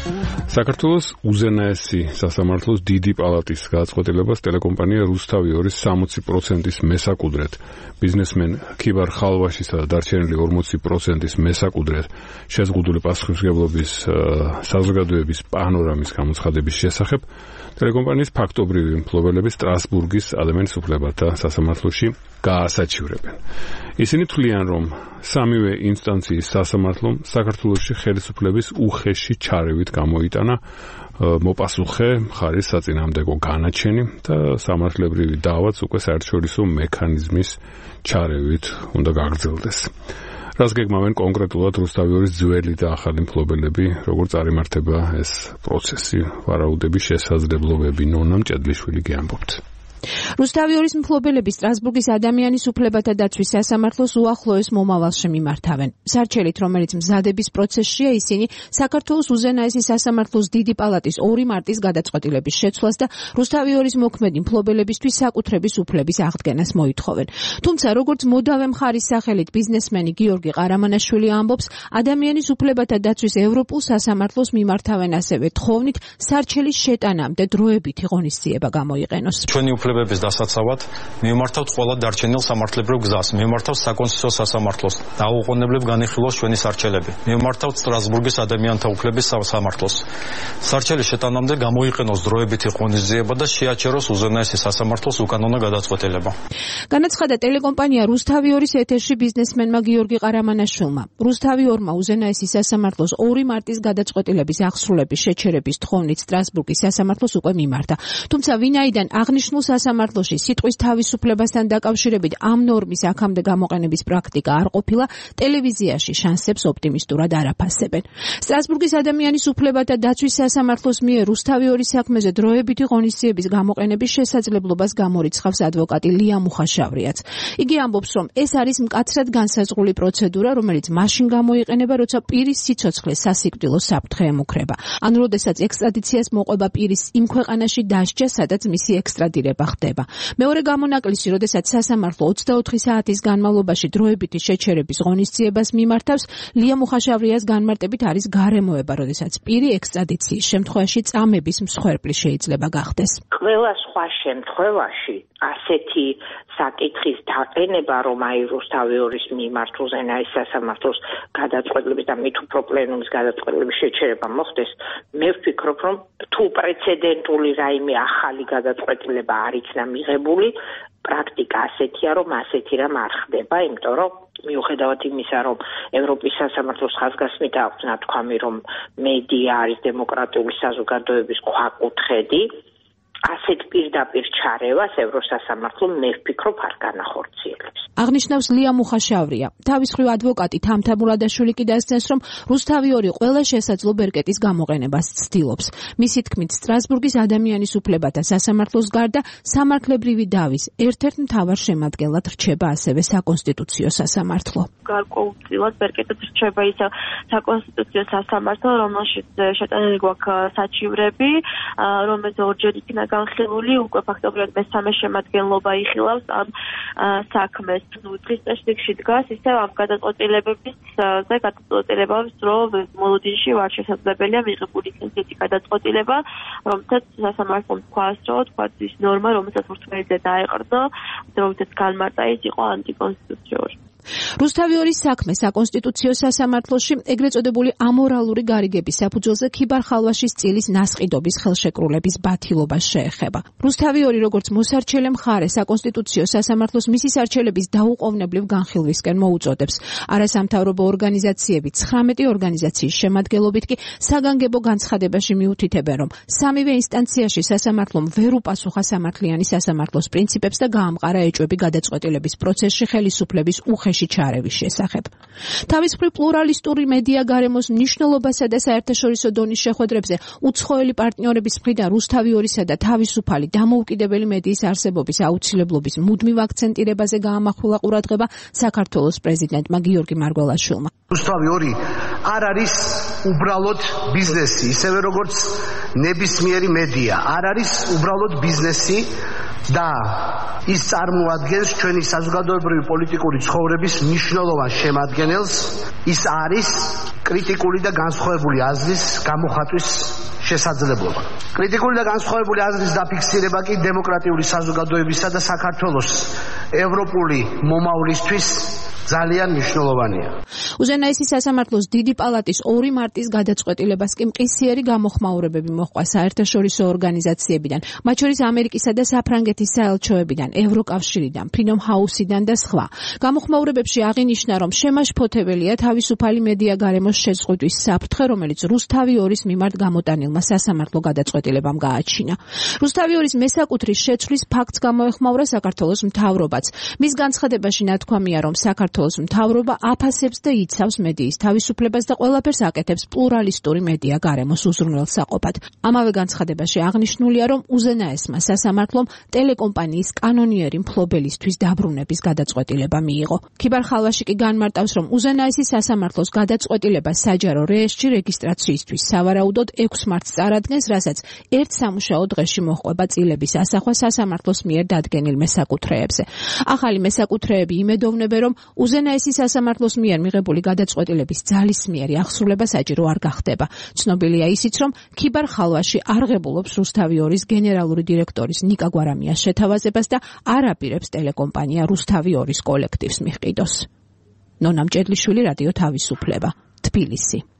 საქართველოს უზენაესი სასამართლოს დიდი პალატის გადაწყვეტილებას ტელეკომპანია რუსთავი 60%-ის მესაკუდრეთ, ბიზნესმენ ქიბარ ხალვაშისა და დარჩენილი 40%-ის მესაკუდრეთ შეზღუდული პასუხისმგებლობის საზოგადოების პანორამის გამოცხადების შესახებ ტელეკომპანიის ფაქტობრივი მფლობელები სტრასბურგის ადამიანის უფლებათა სასამართლოში გაასაჩივრებენ. ისინი თვლიან, რომ სამივე ინსტანციის სასამართლომ საქართველოში ხელისუფლების უხეში ჩარევით გამოიტანა მოპასუხე მხარის საწინააღმდეგო განაჩენი და სამართლებრივი დავაც უკვე საერთაშორისო მექანიზმის ჩარევით უნდა გაგრძელდეს. რას გეგმავენ კონკრეტულად რუსთავი 2-ის ძველი და ახალი მფლობელები, როგორ წარიმართება ეს პროცესი, ვარაუდების შესაძლებლობები, ნონა მჭედლიშვილი გეამბობთ. რუსთავი 2-ის მფლობელები სტრასბურგის ადამიანის უფლებათა დაცვის სასამართლოს უახლოეს მომავალში მიმართავენ. სარჩელით, რომელიც მზადების პროცესშია, ისინი საქართველოს უზენაესი სასამართლოს დიდი პალატის 2 მარტის გადაწყვეტილების შეცვლას და რუსთავი 2-ის მოქმედი მფლობელებისთვის საკუთრების უფლების აღდგენას მოითხოვენ. თუმცა, როგორც მოდავე მხარის სახელით ბიზნესმენი გიორგი ყარამანაშვილი ამბობს, ადამიანის უფლებათა დაცვის ევროპულ სასამართლოს მიმართავენ ასევე თხოვნით სარჩელის შეტანამდე დროებითი ღონისძიება გამოიყენოს. უფლებების დასაცავად მივმართავთ ყველა დარჩენილ სამართლებრივ გზას, მივმართავთ საკონსტიტუციო სასამართლოს, დაუყოვნებლივ განიხილოს ჩვენი სარჩელები, მივმართავთ სტრასბურგის ადამიანთა უფლების სასამართლოს. სარჩელის შეტანამდე გამოიყენოს დროებითი ღონისძიება და შეაჩეროს უზენაესი სასამართლოს უკანონო გადაწყვეტილება. განაცხადა ტელეკომპანია რუსთავი 2-ის ეთერში ბიზნესმენმა გიორგი ყარამანაშვილმა. რუსთავი 2-მა უზენაესი სასამართლოს 2 მარტის გადაწყვეტილების აღსრულების შეჩერების თხოვნით სტრასბურგის სასამართლოს უკვე მიმართა. თუმცა ვინაიდან აღნიშნულ სასამართლოში სიტყვის თავისუფლებასთან დაკავშირებით ამ ნორმის აქამდე გამოყენების პრაქტიკა არ ყოფილა, ტელევიზიაში შანსებს ოპტიმისტურად არ აფასებენ. სტრასბურგის ადამიანის უფლებათა დაცვის სასამართლოს მიერ რუსთავი 2-ის საქმეზე დროებითი ღონისძიების გამოყენების შესაძლებლობას გამორიცხავს ადვოკატი ლია მუხაშავრიაც. იგი ამბობს, რომ ეს არის მკაცრად განსაზღვრული პროცედურა, რომელიც მაშინ გამოიყენება, როცა პირის სიცოცხლე სასიკვდილო საფრთხე ემუქრება. ან როდესაც ექსტრადიციას მოყვება პირის იმ ქვეყანაში დასჯა, სადაც მისი ექსტრადირება ხდება. მეორე გამონაკლისი, როდესაც სასამართლო 24 საათის განმავლობაში დროებითი შეჩერების ღონისძიებას მიმართავს, ლია მუხაშავრიას განმარტებით არის გარემოება, როდესაც პირი ექსტრადიციის შემთხვევაში წამების მსხვერპლი შეიძლება გახდეს. ყველა სხვა შემთხვევაში ასეთი საკითხის დაყენება, რომ აი რუსთავი 2-ის მიმართ უზენაეს სასამართლოს გადაწყვეტილების და მით უფრო პლენუმის გადაწყვეტილების შეჩერება მოხდეს, მე ვფიქრობ, რომ თუ პრეცედენტული რაიმე ახალი გადაწყვეტილება არ იქნა მიღებული, პრაქტიკა ასეთია, რომ ასეთი რამ არ ხდება, იმიტომ რომ მიუხედავად იმისა, რომ ევროპის სასამართლოს ხაზგასმით აქვს ნათქვამი, რომ მედია არის დემოკრატიული საზოგადოების ქვაკუთხედი, ასეთ პირდაპირ ჩარევას ევროსასამართლომ მე ვფიქრობ არ განახორციელებს. აღნიშნავს ლია მუხაშავრია. თავის მხრივ ადვოკატი თამთა მურადაშვილი კი დასცემს, რომ რუსთავი 2 ყველა შესაძლო ბერკეტის გამოყენებას ცდილობს. მისი თქმით, სტრასბურგის ადამიანის უფლებათა სასამართლოს გარდა სამართლებრივი დავის ერთ-ერთ მთავარ შემადგენლად რჩება ასევე საკონსტიტუციო სასამართლო. გარკვეულწილად ბერკეტად რჩება ის საკონსტიტუციო სასამართლო, რომელშიც შეტანილი გვაქვს საჩივრები, რომელიც ორჯერ იქნა განხილული, უკვე ფაქტობრივად მესამე შემადგენლობა იხილავს ამ საქმეს. დღის წესრიგში დგას ისე ამ გადაწყვეტილებების გადაწყვეტილებების რომ მოლოდინში ვარ შესაძლებელია მიღებული ისეთი გადაწყვეტილება, რომელსაც სასამართლომ თქვას, რომ ის ნორმა, რომელსაც ურთმეებზე დაეყრდნო, რომელსაც განმარტა ის იყო ანტიკონსტიტუციური. რუსთავი 2-ის საქმე საკონსტიტუციო სასამართლოში ეგრეთ წოდებული ამორალური გარიგების საფუძველზე ქიბარ ხალვაშის წილის ნასყიდობის ხელშეკრულების ბათილობას შეეხება. რუსთავი 2 როგორც მოსარჩელე მხარე საკონსტიტუციო სასამართლოს მისი სარჩელების დაუყოვნებლივ განხილვისკენ მოუწოდებს. არასამთავრობო ორგანიზაციები 19 ორგანიზაციის შემადგენლობით კი საგანგებო განცხადებაში მიუთითებენ, რომ სამივე ინსტანციაში სასამართლომ ვერ უპასუხა სამართლიანი სასამართლოს პრინციპებს და გაამყარა ეჭვები გადაწყვეტილების პროცესში ხელისუფლების უხეში ჩარევის შესახებ. თავის მხრივ პლურალისტური მედია გარემოს მნიშვნელობასა და საერთაშორისო დონის შეხვედრებზე უცხოელი პარტნიორების მხრიდან რუსთავი 2-სა და თავისუფალი დამოუკიდებელი მედიის არსებობის აუცილებლობის მუდმივ აქცენტირებაზე გაამახვილა ყურადღება საქართველოს პრეზიდენტმა გიორგი მარგველაშვილმა. რუსთავი 2 არ არის უბრალოდ ბიზნესი, ისევე როგორც ნებისმიერი მედია არ არის უბრალოდ ბიზნესი და ის წარმოადგენს ჩვენი საზოგადოებრივი პოლიტიკური ცხოვრების მნიშვნელოვან შემადგენელს. ის არის კრიტიკული და განსხვავებული აზრის გამოხატვის შესაძლებლობა. კრიტიკული და განსხვავებული აზრის დაფიქსირება კი დემოკრატიული საზოგადოებისა და საქართველოს ევროპული მომავლისთვის ძალიან მნიშვნელოვანია. უზენაესი სასამართლოს დიდი პალატის 2 მარტის გადაწყვეტილებას კი მყისიერი გამოხმაურებები მოჰყვა საერთაშორისო ორგანიზაციებიდან, მათ შორის ამერიკისა და საფრანგეთის საელჩოებიდან, ევროკავშირიდან, ფრიდომ ჰაუსიდან და სხვა. გამოხმაურებებში აღინიშნა, რომ შემაშფოთებელია თავისუფალი მედია გარემოს შეზღუდვის საფრთხე, რომელიც რუსთავი 2-ის მიმართ გამოტანილმა სასამართლო გადაწყვეტილებამ გააჩინა. რუსთავი 2-ის მესაკუთრის შეცვლის ფაქტს გამოეხმაურა საქართველოს მთავრობაც. მის განცხადებაში ნათქვამია, რომ საქართველოს მთავრობა აფასებს და იცავს მედიის თავისუფლებას და ყველაფერს აკეთებს პლურალისტური მედია გარემოს უზრუნველსაყოფად. ამავე განცხადებაში აღნიშნულია, რომ უზენაესმა სასამართლომ ტელეკომპანიის კანონიერი მფლობელისთვის დაბრუნების გადაწყვეტილება მიიღო. ქიბარ ხალვაში კი განმარტავს, რომ უზენაესი სასამართლოს გადაწყვეტილება საჯარო რეესტრში რეგისტრაციისთვის სავარაუდოდ 6 მარტს წარადგენს, რასაც ერთ სამუშაო დღეში მოჰყვება წილების ასახვა სასამართლოს მიერ დადგენილ მესაკუთრეებზე. ახალი მესაკუთრეები იმედოვნებენ, რომ უზენაესი სასამართლოს მიერ მიღებული გადაწყვეტილების ძალისმიერი აღსრულება საჭირო არ გახდება. ცნობილია ისიც, რომ ქიბარ ხალვაში არღებულობს რუსთავი 2-ის გენერალური დირექტორის ნიკა გვარამიას შეთავაზებას და არ აპირებს ტელეკომპანია რუსთავი 2-ის კოლექტივს მიჰყიდოს. ნონა მჭედლიშვილი, რადიო თავისუფლება, თბილისი.